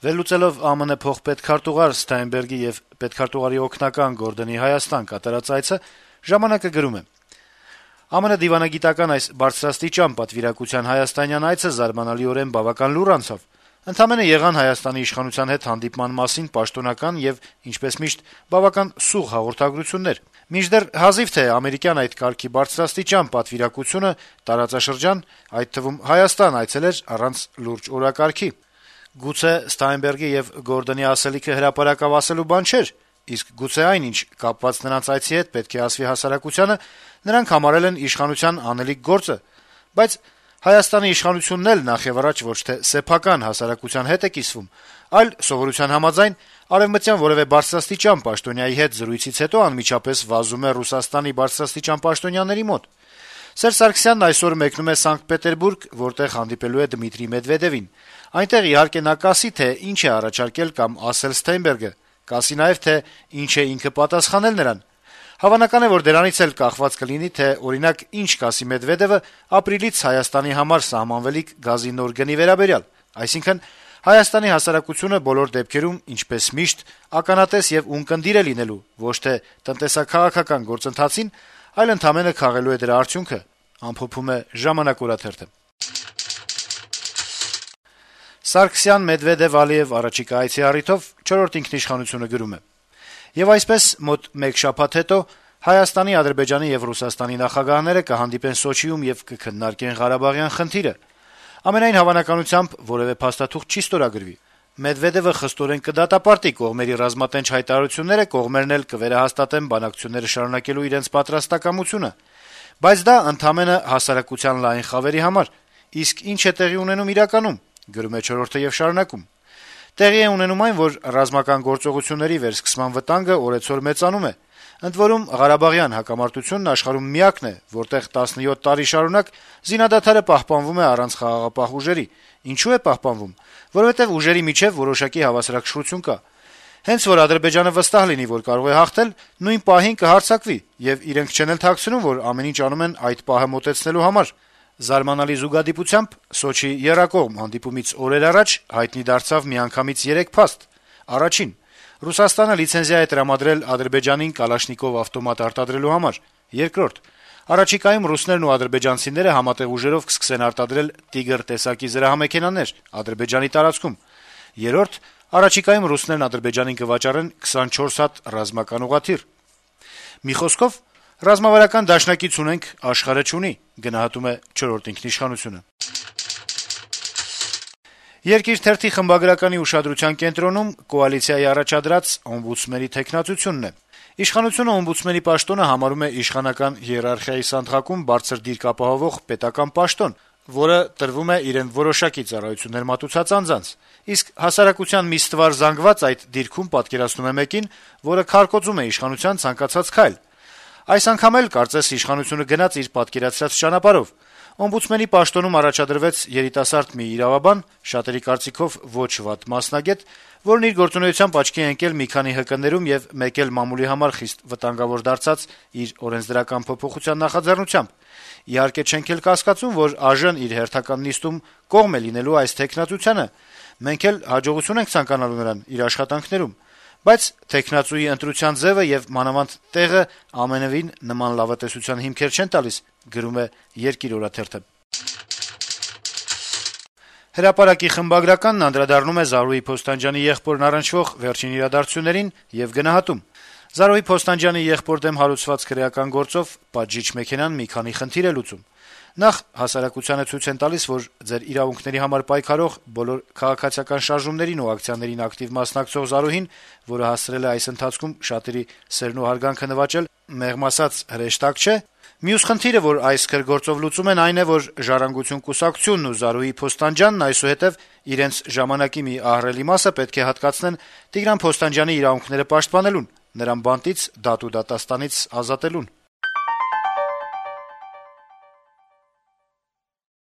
Վերլուծելով ԱՄՆ փոխպետքարտուղար Ստայնբերգի եւ պետքարտուղարի օգնական Գորդոնի Հայաստան կատարած այցը, «Ժամանակ»-ը գրում է. - ԱՄՆ դիվանագիտական այս բարձրաստիճան պատվիրակության հայաստանյան այցը զարմանալիորեն բավական լուռ անցավ: Ընդամենը եղան Հայաստանի իշխանության հետ հանդիպման մասին պաշտոնական եւ, ինչպես միշտ, բավական սուղ հաղորդագրություններ: Մինչդեռ հազիվ թե ամերիկյան այդ կարգի բարձրաստիճան պատվիրակությունը տարածաշրջան, այդ թվում Հայաստան այցելեր առանց լուրջ օրակարգի: Գուցե Ստայնբերգի եւ Գորդոնի ասելիքը հրապարակավ ասելու բան չէր, իսկ գուցե այն, ինչ կապված նրանց այցի հետ պետք է ասվի հասարակությանը, նրանք համարել են իշխանության անելիք գործը: Բայց Հայաստանի իշխանությունն էլ նախեւառաջ ոչ թե սեփական հասարակության հետ է կիսվում, այլ սովորության համաձայն արեւմտյան որեւէ բարձրաստիճան պաշտոնյայի հետ զրույցից հետո անմիջապես վազում է Ռուսաստանի բարձրաստիճան պաշտոնյաների մոտ: Սերժ Սարգսյանն այսօր մեկնում է Սանկտ Պետերբուրգ, որտեղ հանդիպելու է Դմիտրի Մեդվեդեվին: Այնտեղ, իհարկե, նա կասի, թե ինչ է առաջարկել կամ ասել Ստայնբերգը, կասի նաեւ, թե ինչ է ինքը պատասխանել նրան: Հավանական է, որ դրանից էլ կախված կլինի, թե, օրինակ, ինչ կասի Մեդվեդեվը ապրիլից Հայաստանի համար սահմանվելիք գազի նոր գնի վերաբերյալ: Այսինքն, Հայաստանի հասարակությունը բոլոր դեպքերում, ինչպես միշտ, ականատես եւ ունկնդիր է լինելու ոչ թե տնտեսա-քաղաքական գործընթացին, այլ ընդամենը քաղելու է դրա արդյունքը: Սարգսյան-Մեդվեդեվ-Ալիեւ առաջիկա այցի առիթով «Չորրորդ ինքնիշխանություն»-ը գրում է. - «Եվ այսպես, մոտ մեկ շաբաթ հետո Հայաստանի, Ադրբեջանի եւ Ռուսաստանի նախագահները կհանդիպեն Սոչիում եւ կքննարկեն Ղարաբաղյան խնդիրը: Ամենայն հավանականությամբ որեւէ փաստաթուղթ չի ստորագրվի: Մեդվեդեւը խստորեն կդատապարտի կողմերի ռազմատենչ հայտարարությունները, կողմերն էլ կվերահաստատեն բանակցությունները շարունակելու իրենց պատրաստակամությունը: Բայց դա ընդամենը հասարակության լայն խավերի համար: Իսկ ինչ է տեղի ունենում իրականում: Տեղի է ունենում այն, որ ռազմական գործողությունների վերսկսման վտանգը օրեցօր մեծանում է: Ընդ որում, Ղարաբաղյան հակամարտությունն աշխարհում միակն է, որտեղ 17 տարի շարունակ զինադադարը պահպանվում է առանց խաղաղապահ ուժերի: Ինչու է պահպանվում: Որովհետեւ ուժերի միջեւ որոշակի հավասարակշռություն կա: Հենց որ Ադրբեջանը վստահ լինի, որ կարող է հաղթել, նույն պահին կհարձակվի, եւ իրենք չեն էլ թաքցնում, որ ամեն ինչ անում են այդ պահը մոտեցնելու համար: Զարմանալի զուգադիպությամբ Սոչիի եռակողմ հանդիպումից օրեր առաջ հայտնի դարձավ միանգամից 3 փաստ: Առաջին. Ռուսաստանը լիցենզիա է տրամադրել Ադրբեջանին կալաշնիկով ավտոմատ արտադրելու համար: Երկրորդ. առաջիկայում ռուսներն ու ադրբեջանցիները համատեղ ուժերով կսկսեն արտադրել «Տիգր» տեսակի զրահամեքենաներ Ադրբեջանի տարածքում: Երրորդ. առաջիկայում ռուսներն Ադրբեջանին կվաճառեն 24 հատ ռազմական ուղղաթիռ: Մի խոսքով, ռազմավարական դաշնակից ունենք, աշխարհը չունի: «Երկիր» թերթի խմբագրականի ուշադրության կենտրոնում կոալիցիայի առաջադրած օմբուդսմենի թեկնածությունն է: Իշխանությունը օմբուդսմենի պաշտոնը համարում է իշխանական հիերարխիայի սանդղակում բարձր դիրք ապահովող պետական պաշտոն, որը տրվում է իրեն որոշակի ծառայություններ մատուցած անձանց: Իսկ հասարակության մի ստվար զանգված այդ դիրքում պատկերացնում է մեկին, որը քարկոծում է իշխանության ցանկացած քայլ: Այս անգամ էլ, կարծես, իշխանությունը գնաց իր պատկերացրած ճանապարհով: Օմբուդսմենի պաշտոնում առաջադրվեց երիտասարդ մի իրավաբան, շատերի կարծիքով ոչ վատ մասնագետ, որն իր գործունեությամբ աչքի է ընկել մի քանի ՀԿ-ներում եւ մեկ էլ մամուլի համար խիստ վտանգավոր դարձած իր օրենսդրական փոփոխության նախաձեռնությամբ: Իհարկե, չենք էլ կասկածում, որ ԱԺ-ն իր հերթական նիստում կողմ է լինելու այս թեկնածությանը: Մենք էլ հաջողություն ենք ցանկանալու նրան իր աշխատանքներում: Բայց թեկնածուի ընտրության ձեւը եւ մանավանդ տեղը ամենեւին նման լավատեսության հիմքեր չեն տալիս»: «Հրապարակ»-ի խմբագրականն անդրադառնում է Զարուհի Փոստանջյանի եղբորն առնչվող վերջին իրադարձություններին եւ գնահատում. - «Զարուհի Փոստանջյանի եղբոր դեմ հարուցված քրեական գործով պատժիչ մեքենան մի քանի խնդիր է լուծում: Նախ, հասարակությանը ցույց են տալիս, որ ձեր իրավունքների համար պայքարող, բոլոր քաղաքացիական շարժումներին ու ակցիաներին ակտիվ մասնակցող Զարուհին, որը հասցրել է այս ընթացքում շատերի սերն ու հարգանքը նվաճել, մեղմ ասած, հրեշտակ չէ: Մյուս խնդիրը, որ այս քրգործով լուծում են, այն է, որ «Ժառանգություն» կուսակցությունն ու Զարուհի Փոստանջյանն այսուհետեւ իրենց ժամանակի մի ահռելի մասը պետք է հատկացնեն Տիգրան Փոստանջյանի իրավունքները պաշտպանելուն, նրան բանտից, դատ ու դատաստանից ազատելուն»: